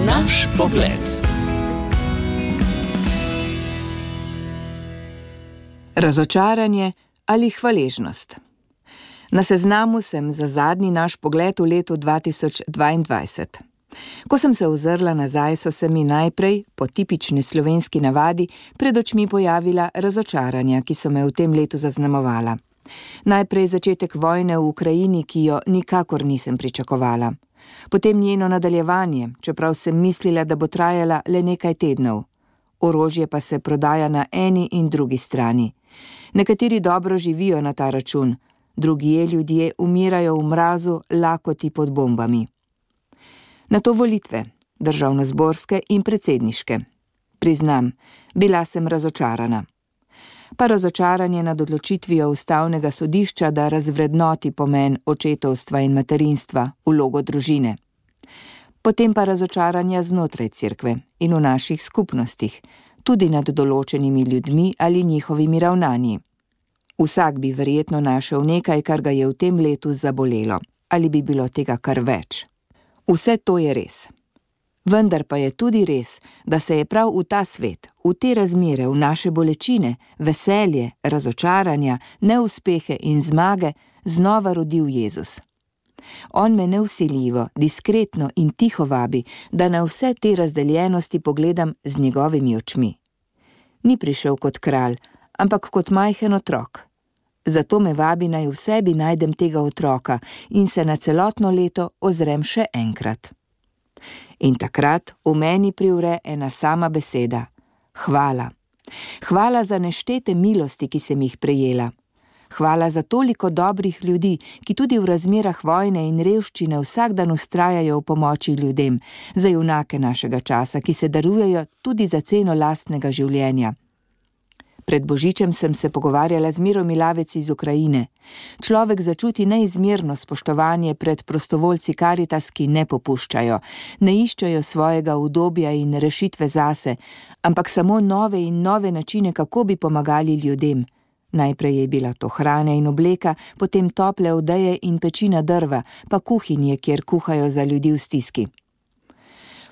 Naš pogled. Razočaranje ali hvaležnost? Na seznamu sem za zadnji naš pogled v letu 2022. Ko sem se ozrla nazaj, so se mi najprej, po tipični slovenski navadi, pred očmi pojavila razočaranja, ki so me v tem letu zaznamovala. Najprej začetek vojne v Ukrajini, ki jo nikakor nisem pričakovala. Potem njeno nadaljevanje, čeprav sem mislila, da bo trajala le nekaj tednov. Orožje pa se prodaja na eni in drugi strani. Nekateri dobro živijo na ta račun, drugje ljudje umirajo v mrazu, lakoti pod bombami. Nato volitve, državnozborske in predsedniške. Priznam, bila sem razočarana. Pa razočaranje nad odločitvijo ustavnega sodišča, da razvrednoti pomen očetovstva in materinstva, vlogo družine. Potem pa razočaranja znotraj cerkve in v naših skupnostih, tudi nad določenimi ljudmi ali njihovimi ravnanji. Vsak bi verjetno našel nekaj, kar ga je v tem letu zabolelo, ali bi bilo tega kar več. Vse to je res. Vendar pa je tudi res, da se je prav v ta svet, v te razmere, v naše bolečine, veselje, razočaranja, neuspehe in zmage znova rodil Jezus. On me nevsiljivo, diskretno in tiho vabi, da na vse te razdeljenosti pogledam z njegovimi očmi. Ni prišel kot kralj, ampak kot majhen otrok. Zato me vabi, naj v sebi najdem tega otroka in se na celotno leto ozrem še enkrat. In takrat v meni privre ena sama beseda: hvala. Hvala za neštete milosti, ki sem jih prejela. Hvala za toliko dobrih ljudi, ki tudi v razmerah vojne in revščine vsak dan vztrajajo v pomoči ljudem, za junake našega časa, ki se darujejo tudi za ceno lastnega življenja. Pred Božičem sem se pogovarjala z Miro Milavec iz Ukrajine. Človek začuti neizmerno spoštovanje pred prostovoljci Karitas, ki ne popuščajo, ne iščejo svojega udobja in rešitve zase, ampak samo nove in nove načine, kako bi pomagali ljudem. Najprej je bila to hrana in obleka, potem tople odeje in pečina drva, pa kuhinje, kjer kuhajo za ljudi v stiski.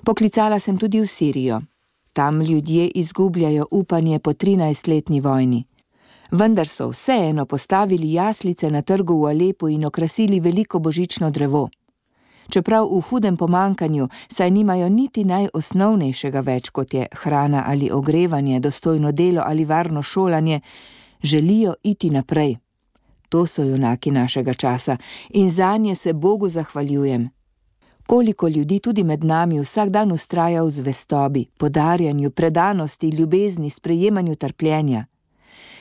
Poklicala sem tudi v Sirijo. Tam ljudje izgubljajo upanje po 13-letni vojni. Vendar so vseeno postavili jaslice na trgu v Alepu in okrasili veliko božično drevo. Čeprav v hudem pomanjkanju, saj nimajo niti najosnovnejšega več, kot je hrana ali ogrevanje, dostojno delo ali varno šolanje, želijo iti naprej. To so junaki našega časa in zanje se Bogu zahvaljujem. Koliko ljudi tudi med nami vsak dan vztraja v zvestobi, podarjanju, predanosti, ljubezni, sprejemanju trpljenja.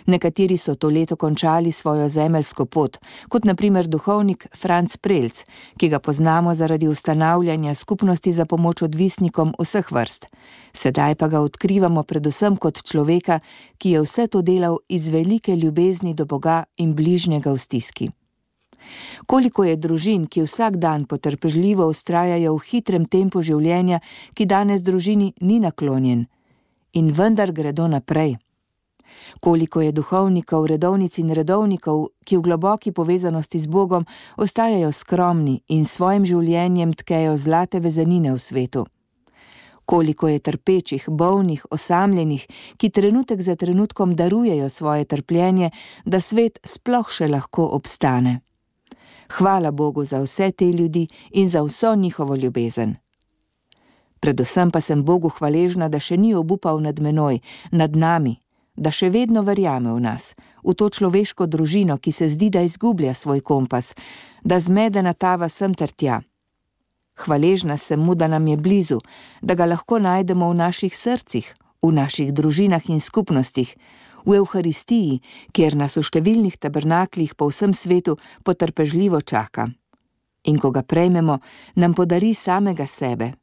Nekateri so to leto končali svojo zemeljsko pot, kot na primer duhovnik Franc Prelc, ki ga poznamo zaradi ustanavljanja skupnosti za pomoč odvisnikom vseh vrst. Sedaj pa ga odkrivamo predvsem kot človeka, ki je vse to delal iz velike ljubezni do Boga in bližnjega v stiski. Koliko je družin, ki vsak dan potrpežljivo vztrajajo v hitrem tempu življenja, ki danes družini ni naklonjen, in vendar gredo naprej. Koliko je duhovnikov, redovnic in redovnikov, ki v globoki povezanosti z Bogom ostajajo skromni in svojim življenjem tkejo zlate vezenine v svetu. Koliko je trpečih, bolnih, osamljenih, ki trenutek za trenutkom darujejo svoje trpljenje, da svet sploh še lahko obstane. Hvala Bogu za vse te ljudi in za vso njihovo ljubezen. Predvsem pa sem Bogu hvaležna, da še ni obupal nad menoj, nad nami, da še vedno verjame v nas, v to človeško družino, ki se zdi, da izgublja svoj kompas, da zmedena tava sem ter tja. Hvaležna sem mu, da nam je blizu, da ga lahko najdemo v naših srcih, v naših družinah in skupnostih, v Evharistiji, kjer nas v številnih tabernaklih po vsem svetu potrpežljivo čaka. In ko ga prejmemo, nam podari samega sebe.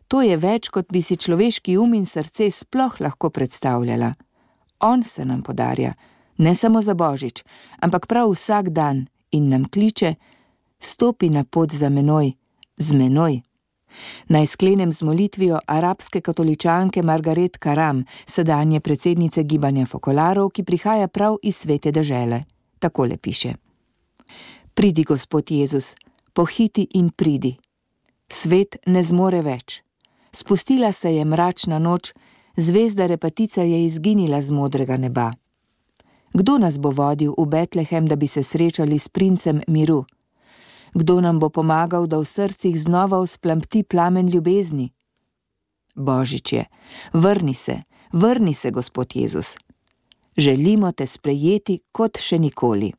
To je več, kot bi si človeški in srce sploh lahko predstavljala. On se nam podarja, ne samo za Božič, ampak prav vsak dan in nam kliče: stopi na pot za menoj, z menoj. Naj sklenem z molitvijo arabske katoličanke Margaret Karam, sedanje predsednice gibanja Fokolarov, ki prihaja prav iz svete dežele. Takole piše: Pridi, Gospod Jezus, pohiti in pridi. Svet ne zmore več. Spustila se je mračna noč, zvezda Repatica je izginila z modrega neba. Kdo nas bo vodil v Betlehem, da bi se srečali s princem miru? Kdo nam bo pomagal, da v srcih znova vzplamti plamen ljubezni? Božič je, vrni se, Gospod Jezus. Želimo te sprejeti kot še nikoli.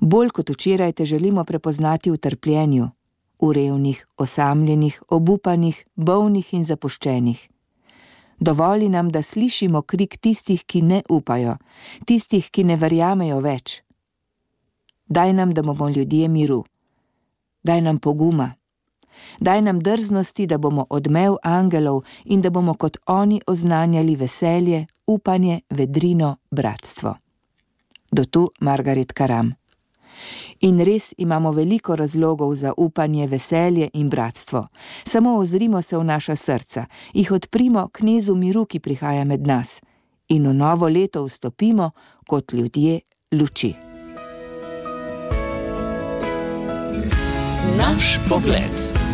Bolj kot včeraj te želimo prepoznati v trpljenju, v revnih, osamljenih, obupanih, bolnih in zapuščenih. Dovoli nam, da slišimo krik tistih, ki ne upajo, tistih, ki ne verjamejo več. Daj nam, da bomo ljudje miru. Daj nam poguma. Daj nam drznosti, da bomo odmev angelov in da bomo kot oni oznanjali veselje, upanje, vedrino, bratstvo. Do tu Margaret Karam. In res imamo veliko razlogov za upanje, veselje in bratstvo. Samo ozrimo se v naša srca, jih odprimo knezu miru, ki prihaja med nas, in v novo leto vstopimo kot ljudje luči. Naš pogled.